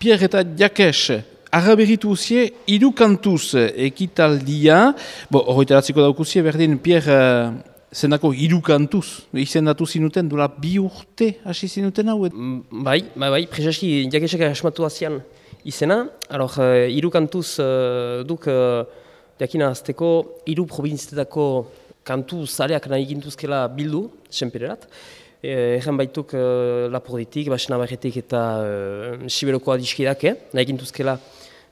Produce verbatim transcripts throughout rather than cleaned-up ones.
Pierre eta Jakes, araberitu uzie, hiru kantuz ekitaldia. Bo, horretaratziko daukuzie, berdin, Pierre, uh, zendako hiru kantuz, izendatu zinuten, dula bi urte hasi zinuten hau? Bai, bai, bai, prezeski Jakesek asmatu azian izena. Alors, hiru uh, kantuz uh, duk, uh, jakina azteko, hiru provinzietako kantu zareak nahi gintuzkela bildu, senpererat. Egen baituk uh, Lapurditik, Basena Barretik eta uh, Siberoko adiskidak, eh? Nahi gintuzkela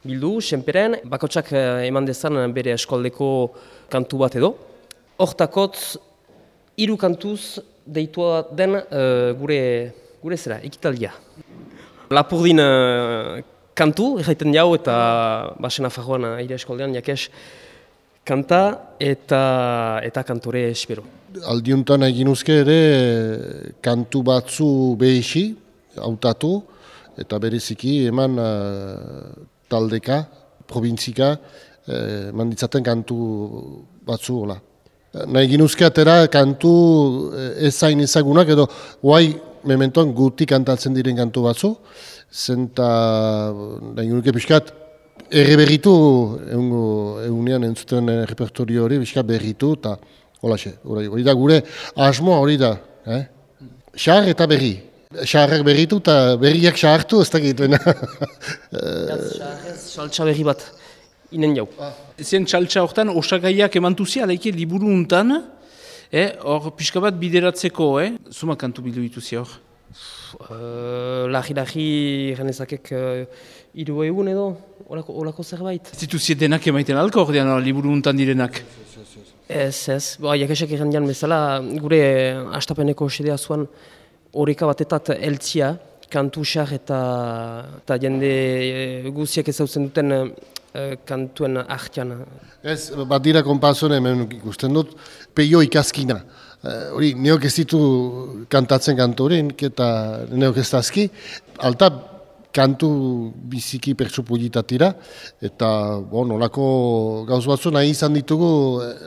bildu, senperen, bakotsak uh, eman dezan bere eskoldeko kantu bat edo. Hortakotz, hiru kantuz deitua den uh, gure, gure zera, ekitaldia. Lapurdin uh, kantu, erraiten jau eta Basena Farroan uh, aire eskoldean, Jakes, kanta eta eta kantore Sibero. Aldiuntan egin uzke ere kantu batzu behixi, hautatu, eta bereziki eman uh, taldeka, provintzika, uh, manditzaten kantu batzu hola. Nahi egin uzke atera kantu ezain ezagunak edo guai mementoan guti kantatzen diren kantu batzu, zenta nahi egin uzke pixkat erre berritu, egunean entzuten repertorio hori, pixkat berritu, eta holaxe, hori da gure asmoa hori da. Eh? Xar eta berri. Xarrak berritu eta berriak xartu, ez dakit. Xarrez, saltsa berri bat, inen jau. Zen saltsa horretan, osagaiak emantuzia, alaike liburu untan, hor pixka bat bideratzeko, eh? Zuma kantu bildu dituzia hor? Lagi-lagi genezakek hiru egun edo, olako zerbait. Zituzie denak emaiten alko hor dian, liburu untan direnak? Ez, ez. Ba, Jakesek egin jan bezala, gure astapeneko sedea zuan horreka batetat eltzia, kantu xar eta, eta jende guziak ezautzen duten uh, kantuen artean. Ez, bat dira konpazuen hemen ikusten dut, peio ikaskina. Hori, uh, neok ez ditu kantatzen kantu horien, eta neok ez dazki, alta kantu biziki pertsupulitatira, eta bon, olako gauz batzu nahi izan ditugu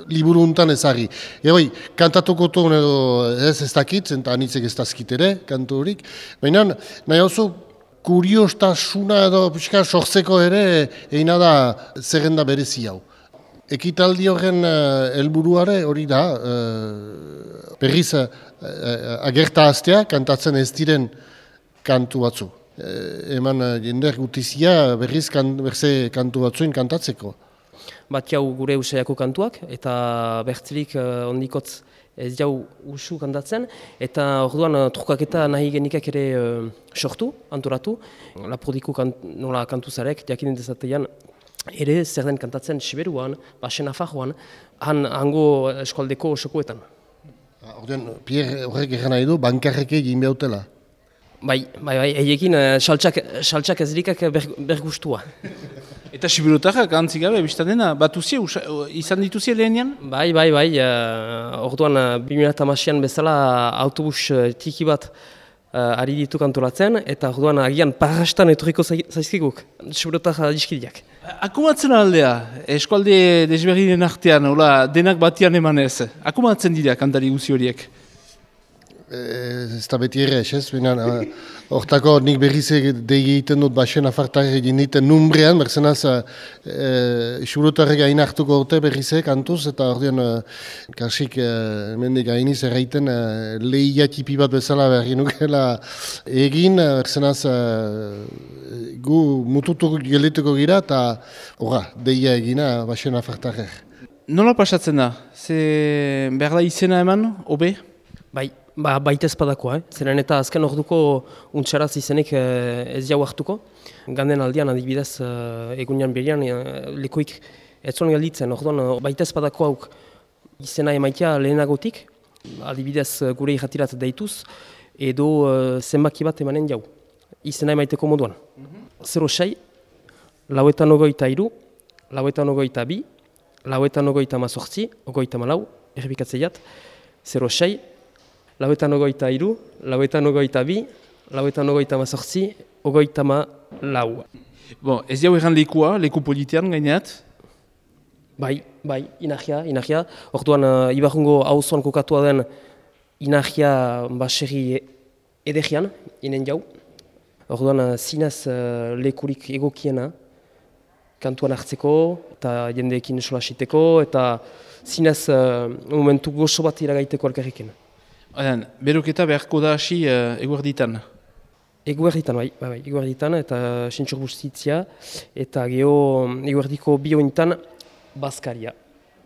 liburu untan ezagri. Egoi, kantatuko tuen edo ez ez dakit, eta anitzek ez dazkit ere, kantu horik. Baina nahi oso kuriostasuna edo pixka sortzeko ere egina da zerrenda berezi hau. Ekitaldi horren helburuare hori da, uh, berriz uh, agerta hastea kantatzen ez diren kantu batzu. Eman jender gutizia berriz kan, berze kantu batzuin kantatzeko. Bat jau gure usaiako kantuak eta bertzilik uh, ondikotz ez jau usu kantatzen eta orduan uh, trukaketa nahi genikak ere uh, sortu, antoratu. Lapurdiko kant, nola kantuzarek, jakinen dezatean ere zer den kantatzen Siberuan, Basena Farroan, han hango eskualdeko osokoetan. Orduan, Pierre horrek egin nahi du, bankarreke egin behautela. Bai, bai, bai, egekin saltsak, saltsak ezrikak ber, bergustua. Eta Siberotarrak antzik gabe, biztadena, batuzie, izan dituzie lehenian? Bai, bai, bai, uh, orduan bi mila hamairuan bezala autobus tiki bat uh, ari ditu kantolatzen, eta orduan agian parrastan etorriko zaizkiguk, Siberotar adiskideak. Akumatzen aldea, eskualde desberdinen artean, hola, denak batian emanez, akumatzen dira kantari guzi horiek? Ez da beti ere, ez? Hortako nik berriz dei egiten dut Basena Fartarek egin diten numbrean, berzenaz Siberotarrek gain hartuko dute berriz kantuz, eta ordean kasik mendik gainiz erraiten lehia tipi bat bezala berri nukela egin, berzenaz gu mututuko gelituko gira, eta horra, deia egina Basena Fartarek. Nola pasatzen da? Ze behar da izena eman, obe? Bai. Ba, baita espadakoa, eh? Zeren eta azken orduko untxaraz izenik eh, ez jau hartuko. Ganden aldian adibidez eh, egunean berian eh, lekoik ez zuen galditzen. Orduan baita espadako hauk izena emaitea lehenagotik, adibidez gure irratirat deituz, edo eh, zenbaki bat emanen jau. Izena emaiteko moduan. Mm-hmm. Zero sei, lauetan ogoita iru, lauetan ogoita bi, lauetan ogoita mazortzi, ogoita malau, errepikatzeiat, zero sei, lauetan ogoita iru, lauetan ogoita bi, lauetan ogoita mazortzi, ogoita ma lau. Bon, ez jau erran lekua, leku politean gaineat? Bai, bai, inahia, inahia. Orduan, uh, Ibarrungo auzoan kokatua den inahia baserri edegian, inen jau. Orduan, zinez uh, lekurik egokiena, kantuan hartzeko, eta jendeekin solasiteko, eta zinez uh, momentu gozo bat iragaiteko alkarriken. Oden, beroketa beharko da hasi uh, eguerditan. Eguerditan, bai, bai, eguerditan, eta sentxur bustitzia, eta geho eguerdiko biointan, Baskaria.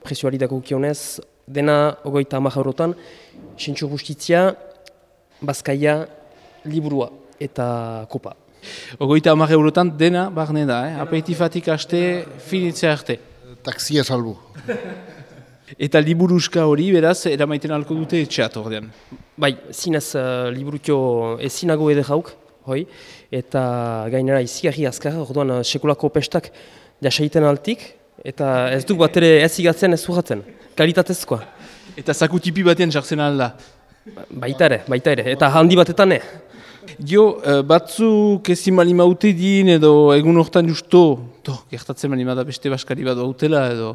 Presioari dago kionez, dena ogoita hamar eurotan, sentxur bustitzia, Baskaia, liburua eta kopa. Ogoita hamar eurotan dena barne da, eh? Aperitifatik haste, finitzea arte. Taksia salbu. Eta liburuska hori, beraz, eramaiten alko dute etxeat ordean. Bai, zinez uh, liburutio ezinago eder hauk, hoi, eta gainera izigarri azkar, orduan uh, sekulako pestak jasaiten altik, eta ez duk bat ere ez igatzen ez urratzen, kalitatezkoa. Eta zakutipi batean jartzen alda. Baita ere, baita ere, eta handi batetan ne. Jo, uh, batzuk ezin bali maute din edo egun hortan justo, to, gertatzen bali da beste baskari bat hautela edo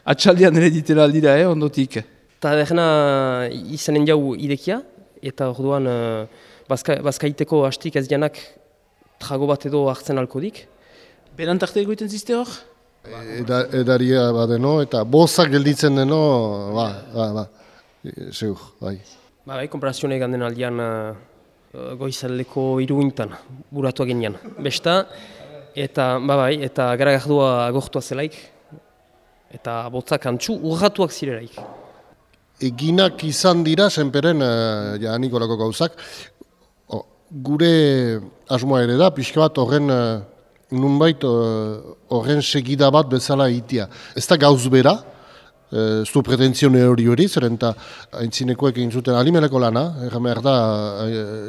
atxaldean ere ditela aldira, eh, ondotik. Eta degena izanen jau idekia, eta orduan uh, bazka, bazkaiteko hastik ez janak trago bat edo hartzen alkodik. Beran tarte egoiten ziste hor? Eda, edaria badeno, eta bozak gelditzen deno, ba, ba, ba, zeur, bai. Ba, bai, konparazione ganden aldean uh, goizaldeko iruintan, buratua genean. Besta, eta, ba, bai, eta garagardua agortua zelaik, eta botzak antxu urratuak zirelaik. Eginak izan dira, senperen, uh, ja, Nikolako gauzak, o, gure asmoa ere da, pixka bat horren, uh, nunbait horren segida bat bezala itia. Ez da gauz bera, ez du pretentzione hori hori, zeren eta aintzinekoek egin zuten alimeleko lana, erran behar da,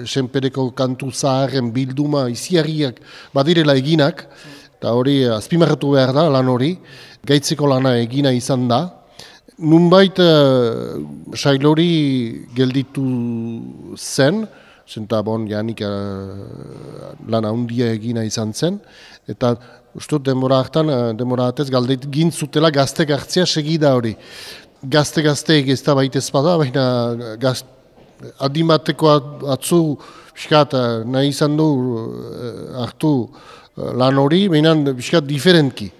senpereko kantu zaharren bilduma iziarriak badirela eginak, eta hori azpimarratu behar da lan hori, gaitzeko lana egina izan da. Nunbait sailori gelditu zen, zenta bon, janik uh, lan handia egina izan zen, eta ustut denbora hartan, uh, denbora hartez galdeit gintzutela gaztek hartzea segida hori. Gazte-gazteek ez da baitez bada, baina gaz, adimateko atzu biskat uh, nahi izan du uh, hartu uh, lan hori, baina biskat diferentki,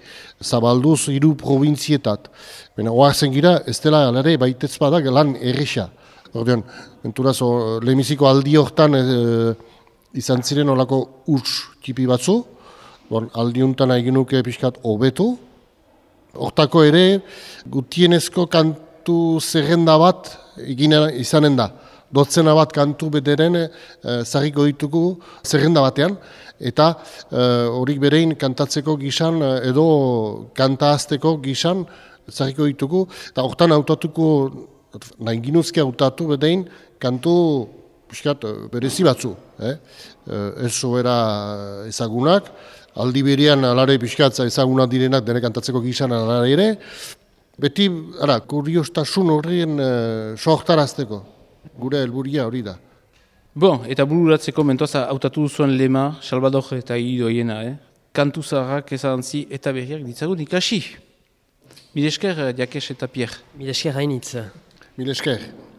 zabalduz hiru provintzietat. Baina oartzen gira, ez dela alare baitez bada lan erresa. Ordean, enturaz, lehemiziko aldi hortan e, izan ziren olako urts tipi batzu, bon, aldi honetan egin nuke pixkat hobetu. Hortako ere, gutienezko kantu zerrenda bat egin izanen da. Dotzena bat kantu bederen e, zarriko ditugu zerrenda batean, eta horik e, berein kantatzeko gisan edo kantahazteko gisan zarriko ditugu, eta hortan hautatuko nahi ginuzke hautatu bedein kantu piskat, berezi batzu. Eh? Ez sobera ezagunak, aldi berean alare piskat ezagunak direnak dene kantatzeko gizan alare ere, beti ara, kuriostasun horrien uh, sohtarazteko, gure helburia hori da. Bon, eta bururatzeko mentoaz hautatu zuen lema, Salvador eta Idoiena, eh? Kantu zaharrak ezagantzi eta berriak ditzagun ikasi. Mil esker, Jakes eta Pierre. Mil esker hainitz. Mil esker.